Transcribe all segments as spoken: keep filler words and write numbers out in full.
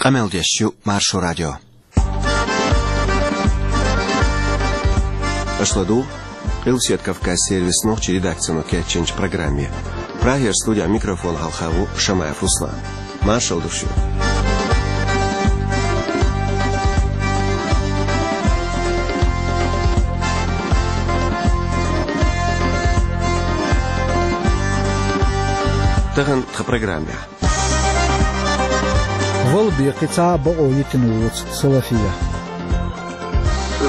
Къамел деш ю Маршо радио. Аша ладугӀу Къилбаседа Кавказан сервисан нохчийн редакцино кечйинчу программе. Прагера студехь микрофон хьалха ву Шамаев Руслан. Маршалла ду шуьга. Тахана тхан программехь. Вала бен кхин цхьа а бакъо йитина воцу Салафия.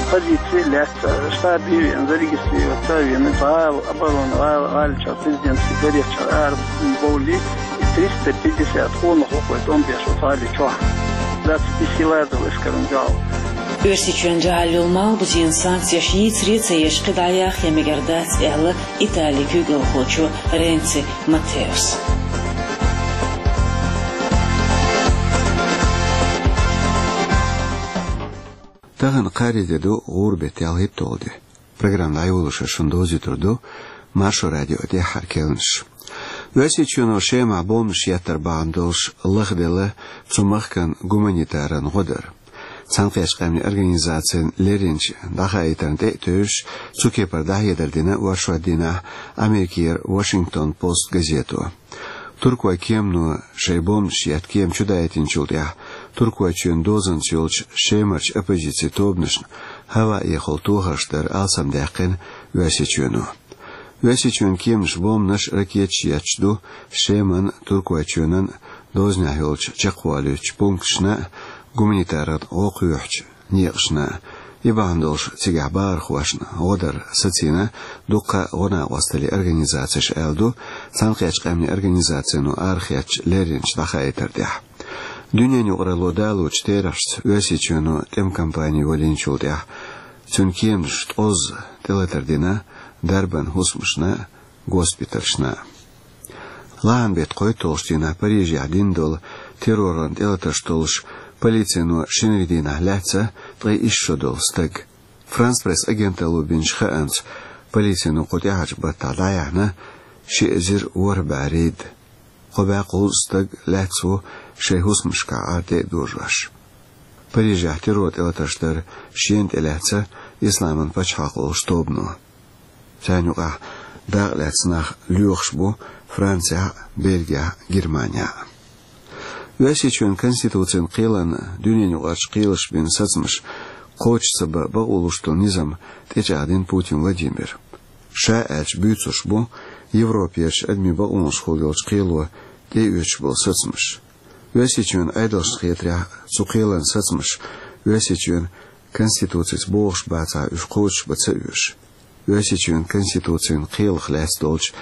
Позици лаьцна штабе веана, зарегистрироваться а веана, гӀала, оборона, гӀала, гӀалин чохь президентский дворец чохь арабовлий, триста пятьдесят къонах ву-кх вай тӀом беш оцу гӀали чохь. Двадцать пять лазалла эскаран дуьхьал. Оьрсийчоьнан дуьхьал йолу малхбузенан санкцеш йийцаре а ца еш, кхин дӀаяха а мегар дац, аьлла Италин куьйгалхочо Ренци Маттеос. Тахана кхаарин де ду, гӀуран беттан ялхитталгӀа де. Программа дӀайолош шуна довзуьйтур ду Маршо радион тӀаьххьара керланаш. Оьрсийчоьно Шемахь бомбанаш еттар бахьана долуш лахделла цу махкана гуманитаран гӀо дар. Цхьаьнакхеттачу Къаьмнийн Организацина лерринчу дӀахаийтарна тӀе а тевжаш, цу кепара дӀахьедар дина оршот дийнахь Америкера Вашингтон Пост газето. Туркойн кемано шайн бомбанаш етта кема чудаийтинчул тӀаьхьа Туркойчоьнан дозанца йолчу Шемарчу оппозицин тобанашна хӀаваэхула тохарш дар алсамдаьккхина Оьрсийчоьно. Оьрсийчоьнан кеманаша бомбанаш, ракеташ етташ ду Шеман, Туркойчоьнан дозанехь йолчу чекхволуьйтучу пункташна а, гуманитаран гӀо кхоьхьучу некъашна а. И бахьана долуш цигахь бахархошна гӀо дар сацийна дуккха а гӀо-накъосталлин организацеш, аьлла ду Цхьаьнакхеттачу Къаьмнийн Организацино арахецначу лерринчу дӀахаийтар тӀехь. Дуьненан юкъаралло далочу терахьашца Оьрсийчоьно тӀеман кампани валийначул тӀаьхьа цуьнан кеманаша ткъозза тӀелатар дина дарбан хӀусамашна а, госпиталшна а. Лахьан беттан кхойтталгӀачу дийнахь Парижехь дина долу терроран тӀелатарш толлуш полицино шинарин дийнахь лаьцна ткъе исс шо долу стаг. Франс Пресс агенталло бинчу хаамца, полицино кху тӀаьхьарчу баттахь дӀаяьхьна ши эзар ворхӀ бӀе рейд. Кхо бӀе кхузткъа стаг лаьцна ву шайн хӀусамашкахь Ӏар тӀе а дожош. Парижехь террор тӀелатарш дар шена тӀелаьцна Исламан пачхьалкх олучу тобано. Царна юкъахь дакъалаьцна нах лоьхуш бу Францехь а, Бельгехь а, Германехь а. Оьрсийчоьнан Конституцин кхелан дуьненан юкъарчу кхелаша бина сацамаш кхочуш ца бан бакъо луш долу низам тӀечӀагӀдина Путин Владимира. Ша аьлча, буьйцурш бу Европерчу адамийн бакъонашхула йолчу кхело тӀеоьцуш болу сацамаш. Оьрсийчоьнан Ӏедалшна хетарехь, цу кхелан сацамаш Оьрсийчоьнан Конституцица бохуш бацахь, уьш кхочушбан ца оьшу. Оьрсийчоьнан Конституцин кхелах лаьцна долчу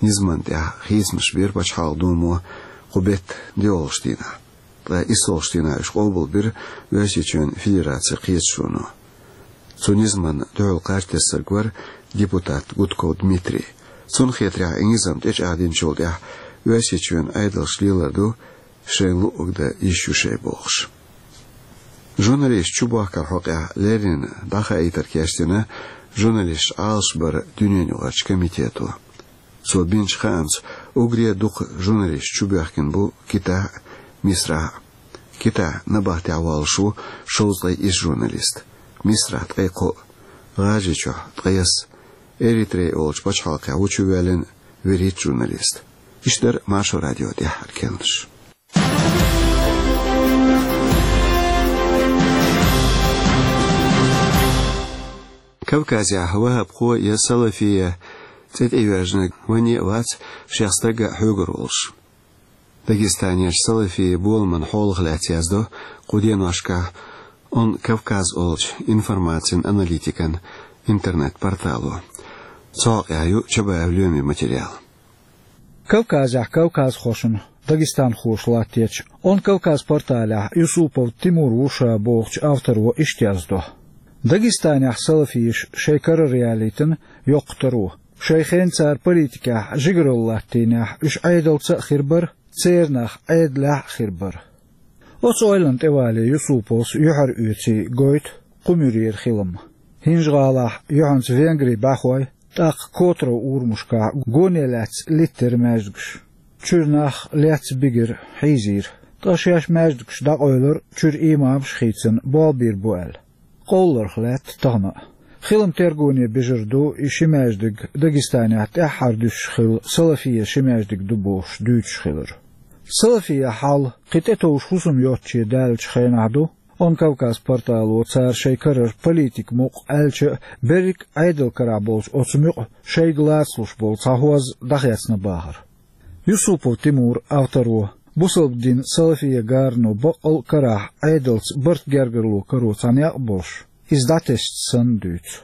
низамна тӀехь хийцамаш бира Пачхьалкхан Думо кху беттан доьалгӀачу дийнахь. Ткъа иссолгӀачу дийнахь уьш къобалбира Оьрсийчоьнан Федерацин Кхеташоно. Цу низамна дуьхьал кхаж тесна стаг вара депутат Гудков Дмитрий. Цунна хетарехь, и низам тӀечӀагӀдинчул тӀаьхьа Оьрсийчоьнан Ӏедалша лелар ду шайна луъург дан йиш ю шайн бохуш. Журналисташ чубохкаран хьокъехь леррина дӀахаийтар кечдина журналисташ Ӏалашбаран дуьненан юкъарчу комитето. Цо бинчу хаамца, уггаре а дукха журналисташ чубоьхкина бу Китахь а, Мисрахь а. Китахь набахтехь воллуш ву шовзткъе исс журналист, Мисрахь ткъе кхоъ, ГӀажарийчохь ткъайесна, Эритрея олучу пачхьалкхехь ву чувоьллина вуьрхӀитта журналист. Иштта дара Маршо радион тӀаьххьара керланаш. Кавказехь ваххабхо я салафия цӀе тӀейоьжнарг ване а вац шех стагга хьоьгур волуш. Дагестанерчу салафия боламан хьолах лаьцна яздо кху деношкахь Он Кавказ олучу информацин-аналитикан интернет-портало. Цу хьокъехь ю Чабаев Лоьмин материал. Кавказехь кавказхошна, дагестанхоша латточу Он Кавказ порталехь Юсупов Тимур ву ша бохучу авторо иштта яздо: Дагестанехь салафиша шайн карара ялийтина йоккха таро. Шайн хенахь цара политикехь жигаралла латтийнехь, уьш Ӏедалца а хир бара, церан нах Ӏедалехь а хир бара. Оцу ойланна тӀевалий Юсуповс юьхьароьций гойту кху муьрера хилам. ХӀинжа-ГӀалахь юьхьанца Венгрин бӀаьхой, тӀаккха Котрово урамашкахь гоне лаьцна литтира маьждигаш. Чуьра нах лецна бигира, хьийзийра. Ткъа шаьш маьждигаш дӀакъовлар, чуьра имамаш хийцина, болх бийр бу аьлла. Къовларх лаьтта тахана а. Хилам тергоне бижар ду и ши маьждиг Дагестанехь тӀаьххьара дуьсуш хилла, Салафия ши маьждиг ду бохуш дуьйцуш хилар. Салафия хьал кхин тӀетовжа хӀусам йоцче даьллачу хенахь ду, Он Кавказ портало цара шайн карара политик мукъ аьлча а, берриг а Ӏедал карахь болчу оцу муьтӀахь шайга лацалуш болу цхьа хӀоз дӀахецна бахар. Юсупов Тимур, авторо, бусалба дин салафия гарано баккъал а карахь Ӏедалца барт гергарло каро цхьа некъ а болуш, иза дӀатесча санна дуьйцу.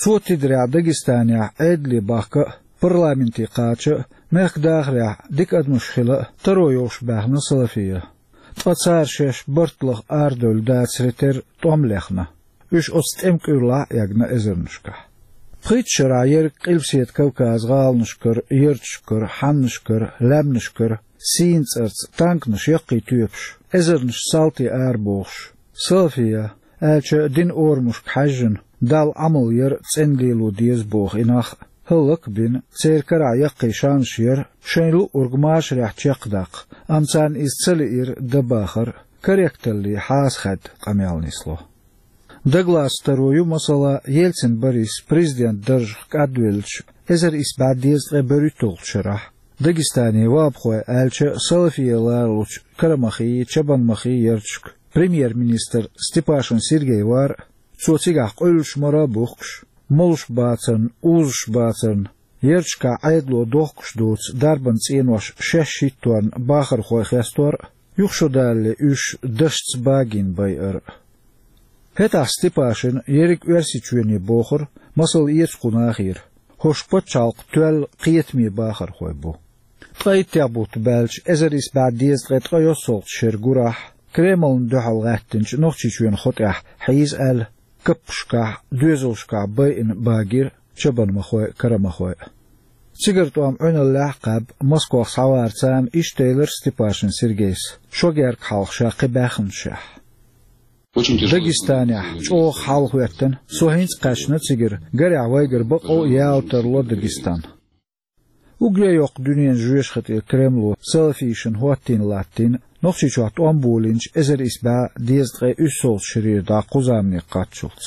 Цо тидарехь Дагестанехь Ӏедале бахка а, парламенте кхача а, мехкан дахарехь дика адамаш хила а таро йолуш баьхна салафия. Ткъа цара шаьш барт лаха арадевлла дацаре терра тӀом лехна. Уьш оцу тӀеман кӀуьрлахь а эгна эзарнашкахь. Пхийтта шарахь ерриг Къилбаседа Кавказан гӀаланашкара, ярташкара, хьаннашкара, лаьмнашкара сийна цӀарца танканаш яккхий тоьпаш, эзарнаш салти арабохуш, салафия, аьлча динан орамашка хьаьжжина, Далла Ӏамал яр цӀена лело деза боху и нах а хӀаллак а бина, церан карахь яккхий шанаш яр шайна луъург машарехь чекхдаккха, амма царна иза ца лиира дан бахар а, корректалле хьасахаьдда къамел нисло. Даглас таро ю, масала, Ельцин Борис президент даржах кӀадвеллачу эзар исс бӀе дезткъе берхӀитталгӀачу шарахь, Дагестане ваххабхой аьлча а салафия ларалучу Карамахий, Чабанмахий ярташка премьер-министр Степашин Сергей вар а, цо цигахь къуьллуш мара а бухкуш, молуш бацарна, узуш бацарна, ярташкахь Ӏедало дохкуш доцу дарбан цӀенош шаьш хӀитторна бахархой хестор а, юха шо далале уьш дашца багийна байар а. ХӀетахь Степашина ерриг Оьрсийчоьне бохура, масал эца кху нахера, хӀорш пачхьалкх тоьлла кхетаме бахархой бу. Ткъа иттех бутт баьлча, эзар исс бӀе дезткъе ткъе йоьссалгӀачу шеран гурахь, Кремлна дуьхьал гӀаьттинчу Нохчийчоьнан хотӀехь хьийза аьлла, каппашкахь, доьзалшкахь байина багира чабанмахой а, карамахой а. Цигара тӀом Ӏуьналлехь а кхаьбна, Москох схьаварца царна иштта элира Степашин Сергейс, шо герга хьалха ша кхин баьхначехь. Дагестанехь чӀогӀа хьал хӀоьттина, со хӀинца а кхаьчна цигара, гарехь вайгара бакъо а яла тарло Дагестан. Уггаре а йоккха дуьненан жоьжахати Кремло салафишна хӀоттийна латтийна Нохчийчохь тӀом болийначу эзар исс бӀе дезткъе уьссалгӀачу шарера дӀа кху замане кхаччалц.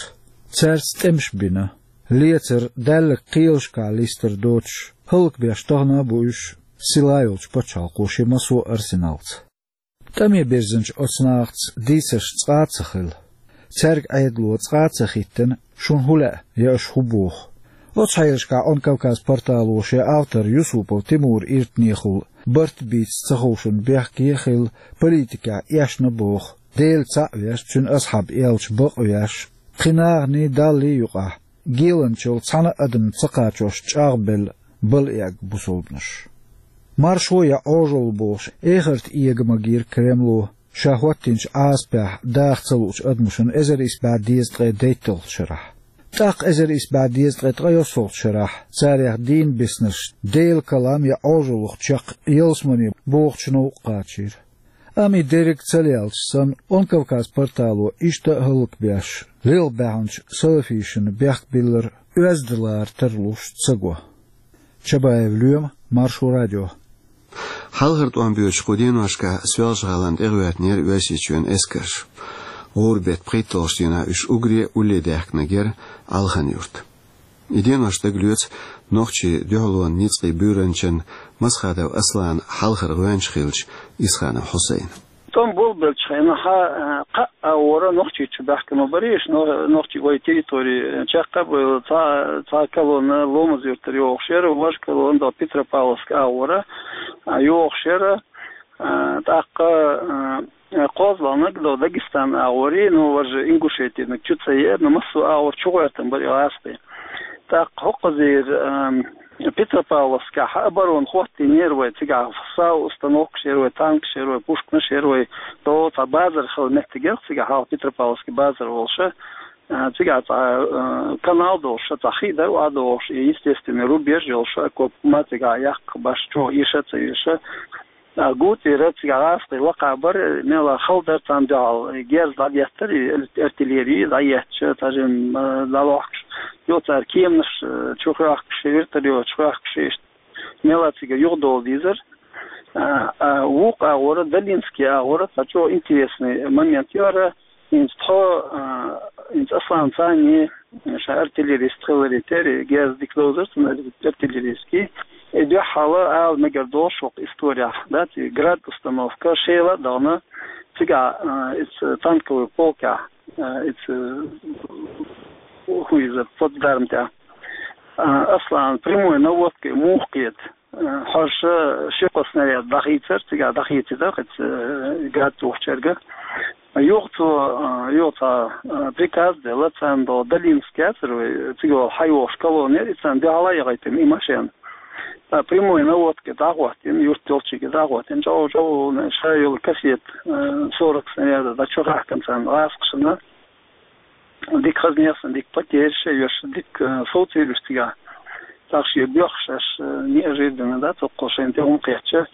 Цаьрца тӀемаш бина, лецар, даьлларг кхелашкахь листар доцуш, хӀаллакбеш тахана а бу уьш, сила йолчу пачхьалкхо шен массо а арсеналца. ТӀаме бирзинчу оцу нахаца дийцарш цкъа а ца хилла. Цаьрга Ӏедало цкъа а ца хӀиттина, шуна хӀун лаьа я аша хӀун боху. Оцу хьелашкахь Он Кавказ портало шен автор Юсупов Тимура иртанехула барт бийца ца ховшун бехке а хилла, политикехь эшна боху, Дела цхьаъ веш, Цуьнан асхьаб элча бакъ веш, кхин наханий, Даллий юкъахь геланчалла цхьана а адамна ца кхачош чӀагӀбелла балъегӀа бусалбанаш. Маршо я Ӏожалла бохуш, эхарта эга магийра Кремло, ша хӀоттийначу Ӏазапехь даха ца луучу адамашна эзар исс бӀе дезткъе дейтталгӀачу шарахь. ТӀаккха эзар исс бӀе дезткъе ткъе йоьссалгӀачу шарахь царех дийна биснарш Делан калам я Ӏожаллах чекх ялсамане бохучу новкъа кхачийра. Амма и дерриг ца лелча санна, Он Кавказ портало иштта а хӀаллакбеш, лелха баьхначу салафишна бехк биллар оьзда лара тарлуш ца го. Чабаев Лоьма, Маршо радио. Хьалхара тӀом боьдучу кху деношкахь Соьлжа-ГӀалина тӀе гӀоьртинера Оьрсийчоьнан эскарш. ГӀуран беттан пхийтталгӀачу дийнахь уьш уггаре а улле даьхкинарг яра Алхан-Юрт. И денош дагалоьцу нохчийн дуьхьалонан ницкъийн буьйранчин Масхадов Асланан хьалхара гӀоьнча хиллачу Исханов Хьусайнан. ТӀом болабеллачу хенахь, а, кхаъ агӀора Нохчийчу баьхкина бара уьш, но-, нохчий вай территори чекх а бевлла, цхьа, цхьа колонна Ломаз-Юьртара йогӀуш яра, важа колонна до Петропавловска агӀора, а, йогӀуш яра, а, тӀаккха, а, кхозлагӀниг до Дагестан агӀорий, ну, важа Ингушетиниг чу ца еара, ну, массо а агӀор чу гӀоьртина бара и гӀазкхий. ТӀаккха хӀокхузара, ам, Петропавловскехь оборона хӀоттийнера вай, цигахь сал установкаш яра вай, танкаш яра вай, пушканаш яра вай, то цхьа базар хилла меттиг яра цигахь, хьалха Петропавловский базар волуш, а, цигахь цхьа, а, канал долуш, цхьа хи дара охьадогӀуш, и естественный рубеж йолуш, окоп ма цигахь яккха баш, чӀогӀа эша а ца эша. А, гуттара цигахь гӀазкхий лакхахь бара, мелла хала дара царна дуьхьал, герз дӀадеттара, и артиллери дӀаетташ, цхьа жимма, а, дӀалохкуш. Йо, цара кеманаш, а, чу хоьхкуш, вертолёташ хоьхкуш, иштта. Мелла цигара юхадовла дезара. А, а, вукху агӀора, Долинский агӀора, цхьа чӀогӀа интересный момент яра, хӀинца тхо, а, хӀинца Аслан цхьанне, ша артиллерист хиларе терра, герз дика довзар цунна артиллерийский. И дуьххьал ала мегар долуш вокху историяхь, да, ци Град установка, Шела а дахана, цигахь, а, иза танковый полкехь, а, иза, хӀун иза, плацдарм тӀехь. А, Аслан, прямой наводкой муха кхета? Э, хьо ша ши-кхо снаряд дӀахийцар, цигахь дӀахийцира, кхин, э, гад тухучаьрга. Юха цо, э, юха цхьа, э, приказ делла, царна до Долинский яцара вай, цига вала хьайогӀуш колонна яра, и царна дуьхьал а яхийтина и машен. Ткъа прямой наводка дӀахӀоттийна, юрт йолчуьнга дӀахӀоттийна, чӀов-чӀов, ша йолу кассета, э, сорок снарядов, дӀа чу хаьхкина царна гӀазкхашна. Дика хаза нехан, дика потеряш а еш, дика, э, совцийра уьш цигахь. ТӀаккха шен боьхуш аш, э, неожиданно, да, цоккхул шайна тӀе хӀума кхетча.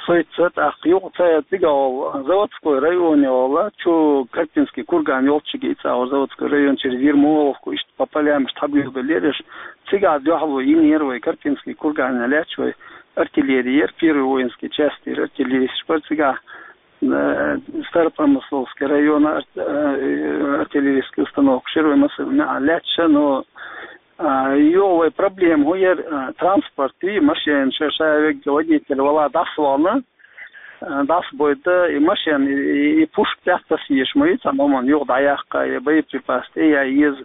Соьца тӀаккха юха ца цигахь волу, заводской районе волу, чу Карпинский курган йолчуьнга и цӀа волу заводской район через Ермоловку, иштта по полям иштта хьабоьлхуьйтуш. Цигахь дуьхьало йинера вай, Карпинский кургане лаьтташ вай артиллерия яра, первый воинский часть яра, артиллеристаш бара цигахь. Э, Старопромысловский района арт-, э, артиллерийский установка шира вай масала неӀ лаьтташ, но, а, юха вай проблема хӀун яра, а, транспорт и машен ша, ша вегга водитель вала дӀасавахана, а, дӀасабойта и машен, и, и, и пушка тӀехь тасийша ма ю цхьана хӀуманна юха дӀаяккха, я боеприпас тӀе я еза,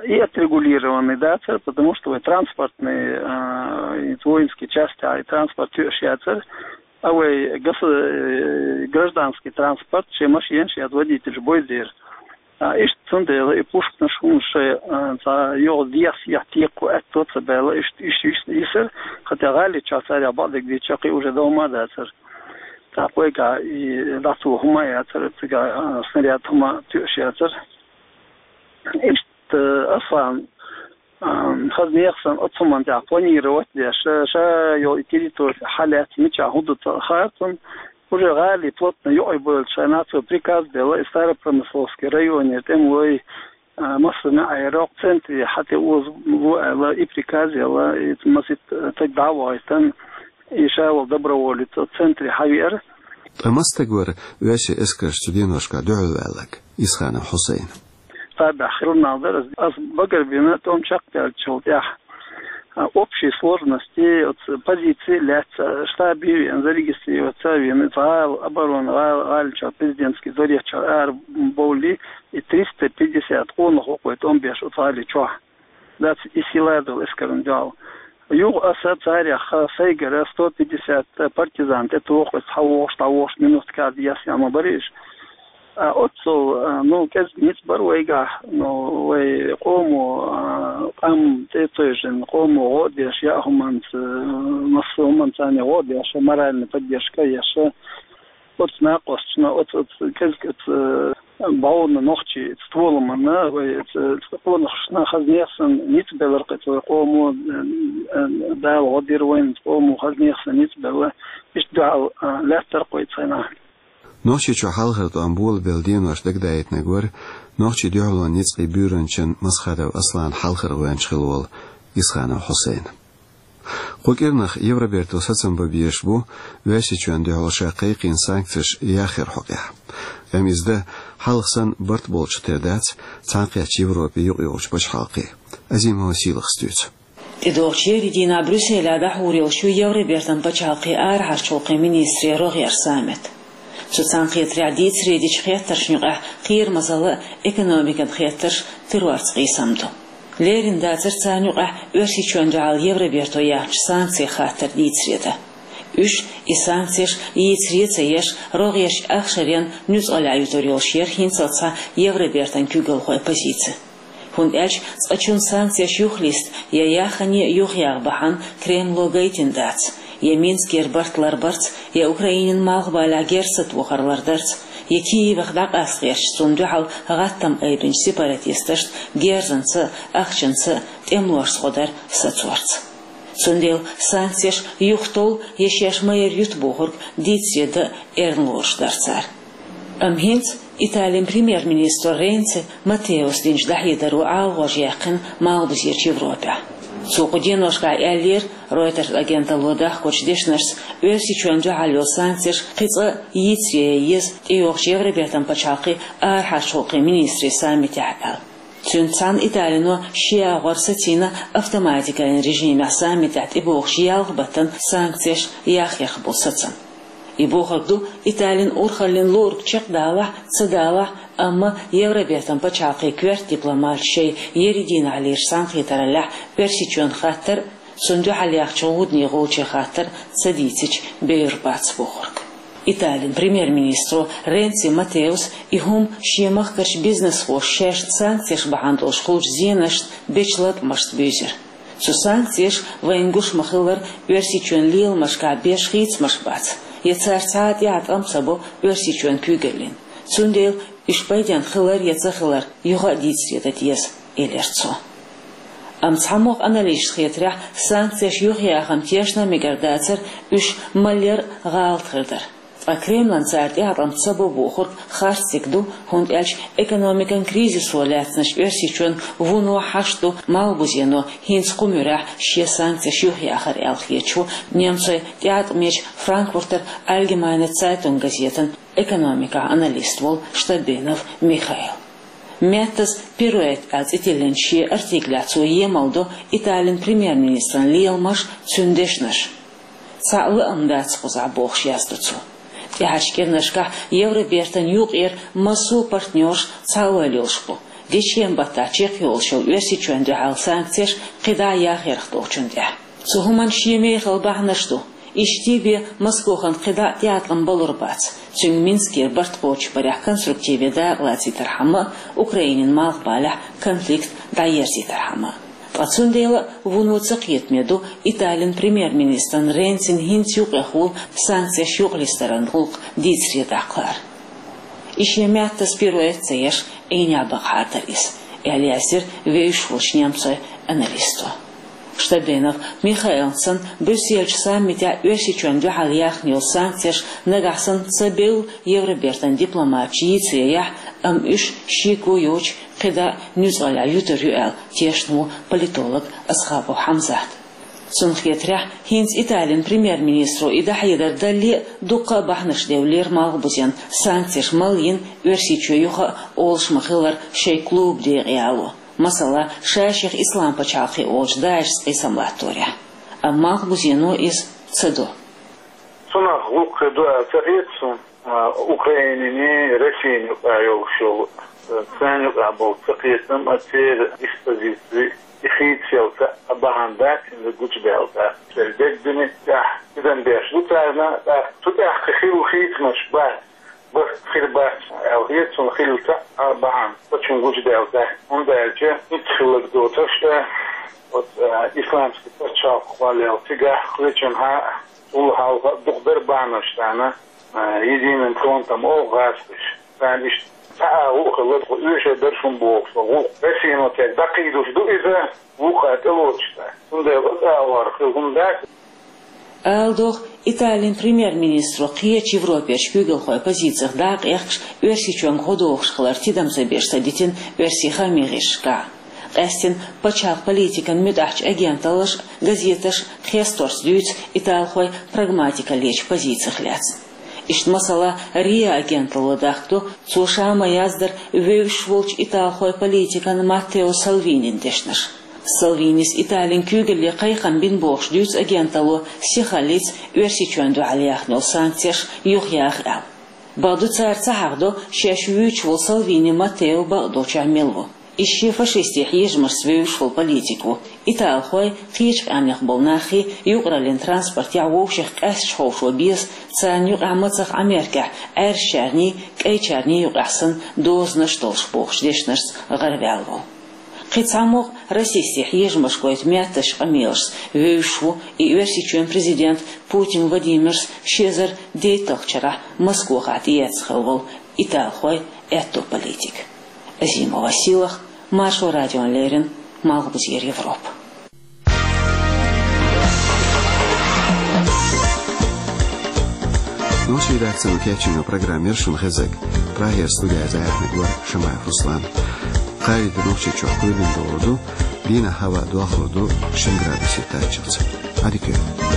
и отрегулированный дацара, потому что вай транспортный, а, и воинский часть, а, и транспорт тоьаш яцара. А вай гос-, э, гражданский транспорт, шен машенаш яц водительш бойдера. А, иштта цундела и пушканаш хӀуманаш шайн, а, цхьа йогӀу дехьа-сехьа текхо аьтто ца баьлла, иштта, иштта, иштта йисар, хӀаьта гӀали чохь царехь бакъдерг дийцича, кхин уже довма а дацара. ТӀаккха вайгахь и дӀацо хӀума а яцара, цигахь, а, снаряд хӀума тоьаш яцара. Иштта, Аслан, а, хаза нехан санна оцу хӀуманна тӀехь планировать деш, ша, ша йолу и территори хьалаьцна, мичахь хӀун ду ца хаьа цунна. Уже гӀали плотно юкъе бевллачу хенахь цо приказ делла, и Старопромысловский районера тӀемалой, а, массо а неӀ яра, центре хьатӀе оза ло аьлла, и приказ елла, и масийтта таг дӀа а вахийтина, и ша волу доброволец оцу центре хьавеара. Ткъа маса стаг вара оьрсийн эскарша цу деношкахь дуьхьал ваьлларг? Исханов Хьусайн. Цхьаболчара хир нах дара, ас багарбина, тӀом чекхдаьллачул тӀаьхьа, а, общей сложности оцу позиции лаьцна, штабе веана, зарегистрироваться а веана, иза гӀала, оборона гӀала, гӀала чохь, президентский дворец чохь ара бовлий, и триста пятьдесят къонах ву-кх вай тӀом беш оцу гӀали чохь. Дац, и сила долу эскарна дуьхьал. Юха аса царех сайгара сто пятьдесят партизан тӀетуху, иза хьан вогӀуш, дӀавогӀуш, минут кхаьрда ясъян ма бара иза. А оццул, а, ну, кӀезиг ницкъ бара вайгахь, ну, вай къомо, а, къам тӀе а тевжина, къомо гӀо а деш, яа хӀуманца, массо а хӀуманца царна гӀо а деш, моральный поддержка а еш. Оцу накъосташна, оцу, оцу кӀезиг, оцу, а, бӀовна нохчийн оцу толамна, вай оцу, оцу къонахашна хаза нехан санна ницкъ белларг, оцу вай къомо, а, а, Дала гӀо дира вайна, оцу къомо хаза нехан санна ницкъ белла. Иштта дуьхьал, а, лаьттара-кх вай цу хенахь. Нохчийчохь хьалхара тӀом болабелла денош дагадаийтинарг вара нохчийн дуьхьалонан ницкъийн буьйранчин Масхадов Асланан хьалхара гӀоьнча хилла волу Исханов Хьусайн. Кху кӀирнах Евроберто сацам бан безаш бу Оьрсийчоьнна дуьхьал ша кхайкхийна санкцеш яхъяран хьокъехь. Амма иза дан хьалха санна барт болчух тера дац цхьаьнакхеттачу Европин юкъайогӀучу пачхьалкхийн. Азимова Сийлахас дуьйцу. ТӀедогӀучу ерриг дийнахь Брюсселехь дӀахьур йолуш ю Евробертан пачхьалкхийн арахьарчу гӀуллакхийн министрийн рогӀера саммит. Цу цхьаьнакхетарехь дийцаре дечу хеттаршна юкъахь кхерамазалла а, экономикан хеттарш а, террорца къийсам а ду. Лерина дацара царна юкъахь Оьрсийчоьнна дуьхьал Евроберто яьхначу санкцийн хаттар дийцаре дан. Уьш, и санкцеш йийцаре а ца еш, рогӀерчу ахшарийн нуьцкъале ютур йолуш яра хӀинццалц схьа Евробертан куьйгалхойн позици. ХӀунда аьлча цкъачунна санкцеш юхалиста я яххане а юхаяха бахьана Кремло гайтина дац, я Минскера барт ларбарца, я Украинин малхбалехь герз сатохар лардарца, я Киевах дӀакъаста гӀерташ цунна дуьхьал гӀаттам айбинчу сепаратисташна герзанца а, ахчанца а, тӀемалошца гӀо дар сацорца. Цундела санкцеш юхатовла я шаьш ма-ярра юта бохург дийцаре дан эрна лоруш дара цара. Амма хӀинца Италин премьер-министро Ренци Маттеос динчу дӀахьедаро ӀалагӀожа яьккхина Малхбузерчу Европехь. Цо кху деношкахь аьллера, Reuters агенталло дахкачу дешнашца, Оьрсийчоьнна дуьхьал йолу санкцеш кхин цкъа йийцаре ян еза тӀейогӀучу Евробертан пачхьалкхийн арахьарчу гӀуллакхийн министрийн саммитехь аьлла. Цуьнца цхьаьна Италино шен агӀор сацийна автоматикан режимехь саммитехь тӀебогӀучу ялх баттана санкцеш яхъярх болу сацам. И бохург ду, Италин урхаллин луург чекхдалахь а, ца далахь а, амма Евробертан пачхьалкхийн коьрта дипломаташ шайн ерриг дийнахь лелачу цхьаьнакхетараллехь Оьрсийчоьнан хаттар а, цунна дуьхьал яьхначу гӀудане гӀулчийн хаттар а ца дийцича бевр бац бохург. Италин премьер-министро Ренци Маттеос и хӀума шен махкарчу бизнесхоша шаьш санкцеш бахьана долуш хуьлучу зенашна бечу латкъамашца буьйзира. Цу санкцеша, вайна гуш ма-хиллара, Оьрсийчоьнан леламашкахь беш хийцамаш бац, я цара цхьа а тӀеӀаткъам ца бо Оьрсийчоьнан куьйгаллина. Цундела уьш пайденна хилар я ца хилар юха а дийцаре дан деза, элира цо. Амма цхьамогӀа аналитикаша хетарехь, санкцеш юхаяхам тешна а мегар дацара, уьш малъяр а гӀалат хир дара. Ткъа Кремлан цара тӀеӀаткъам ца бо бохург харц стаг ду, хӀунда аьлча экономикан кризисо лаьцначу Оьрсийчоьнан вуно хьашт ду Малхбузено хӀинца кху муьрехь шен санкцеш юхаяхар аьлла хеташ ву немцойн тӀеӀаткъамечу Франкфуртер Allgemeine Zeitung газетан экономикан аналист волу Штабенов Михаил. Меттас пируэт аьлла цӀе тиллинчу шен артиклехь цо емал до Италин премьер-министран леламаш, цуьнан дешнаш. Цхьа а лаам дац кхузахь бохуш яздо цо. ТӀаьхьарчу кӀирнашкахь Евробертан юкъара массо а партнерш цхьа ойла йолуш бу, дечкен баттахь чекхйолуш йолу Оьрсийчоьнна дуьхьал санкцеш кхидӀа а яхъярх долчунна тӀехь. Цу хӀуманна шен мехала бахьанаш ду. Иштта бен Москохана кхидӀа а тӀеӀаткъам балур бац, цуьнга Минскера барт кхочушбарехь конструктиве дакъалацийтархьама а, Украинин малхбалехь конфликт дӀаерзийтархьама а. Ткъа цундела а вуно ца кхетаме ду Италин премьер-министран Ренцин хӀинца юкъех волу санкцеш юкъалистаран гӀуллакх дийцаре даккхар. И шен меттас пируэт ца еш, Ӏийнехь бакъахьара дара иза, аьлла яздира вевзаш волчу немцойн аналисто. Штабенов Михаилна санна, Брюсселчу саммитехь Оьрсийчоьнна дуьхьал яьхна йолу санкцеш нагахь санна ца бевлла Евробертан дипломаташа йийцаре яхь, амма уьш шеко йоцуш кхидӀа а нуьцкъаллехь юьтур ю аьлла тешна ву политолог Асхабов Хьамзат. Цунна хетарехь, хӀинца Италин премьер-министро и дӀахьедар далале а дуккха а бахьанаш девллера Малхбузен санкцеш малйина Оьрсийчоь юха а олуш ма-хиллара шайн клуб декъе ало. Масала, ша-шех Ислам пачхьалкх олучу ДАИШца къийсам латторехь. Амма Малхбузено иза ца до. Цунах гӀуллакх хир ду аьлла ца хета суна, а, Украининий, Россиний юкъахь йолуш йолу, а, царна юкъахь болу ца кхетам а, церан диспозици, и хийцаялла а бахьана дац, хӀинца гучудаьлла дац. Церан дегнашна тӀехь тидам беш ду царна, тӀаккха цу тӀехь кхин хилла хийцамаш бац. Барт хир бац аьлла хета суна хилла цхьа а бахьана, паччахьна гучудаьлла дац. ХӀунда аьлча хӀинца хилларг доцурш, оцу, а, исламский пачхьалкх кхоллаелла цигахь кхечанхьа, цул хьалха дукха дара бахьанаш царна, а, Единым фронтом олу гӀазкхаша. Царна иштта цхьа а гӀуллакх хилла, тхо оьшуш дара шуна бохуш, гӀуллакх Россино цаьрга дӀакхийдуш ду иза, вукхара тӀелоцуш дац. Цундела оцу агӀор хилла хӀума дац. Ала догӀу, Италин премьер-министро кхечу Европерчу куьйгалхойн позицих дакъа эккхаш, Оьрсийчоьнга гӀо дохуш хилар тидам ца беш ца дитина оьрсийн хаамийн гӀирсашкахь. Къаьстина пачхьалкх политикан муьтӀахьчу агенталлаша а, газеташа а хесторца дуьйцу италхойн прагматикаллечу позицих лаьцна. Иштта, масала, РИА агенталло дахка до, цо ша ма-яздара, вевзаш волчу италхойн политикан Маттео Салвинин дешнаш. Салвинис Италин куьйгалле кхайкхам бина бохуш дуьйцу агенталло сихаллица Оьрсийчоьнна дуьхьал яьхна йолу санкцеш юхаяха аьлла. Бакъду, цара ца хьахадо шаьш вуьйцуш волу Салвини Маттео бакъдолчохь мила ву. Иза шен фашистийн хьежамашца вевзаш волу политик ву. Италхой, кхечу къаьмнех болу наххий юкъараллин транспортехь вовшех къаьсташ ховшо беза, царна юкъахь мацах Ӏамеркехь Ӏаьржачарний, кӀайчарний юкъахь санна дозанаш долуш бохучу дешнашца гӀараваьлла волу. Кхин цхьаммо а расистийн хьежамаш гойту меттазчу къамелашца вевзаш ву и Оьрсийчоьнан президент Путин Владимирс ши эзар дейтталгӀачу шарахь Москвахь тӀеэцна хилла волу италхой, аьтто политик. Азимова Силах, Маршо радиона леррина, Малхбузера Европа. Нохчийн редакцино кечйина программа яра шуна хезарг. Прагера студехь яьхнарг вара Шамаев Руслан. Кхин а Нохчийчохь кхоьлина догӀур ду Дийнахьа хӀаваъ доахалур ду шин градусе таччалца. Ӏадика йойла.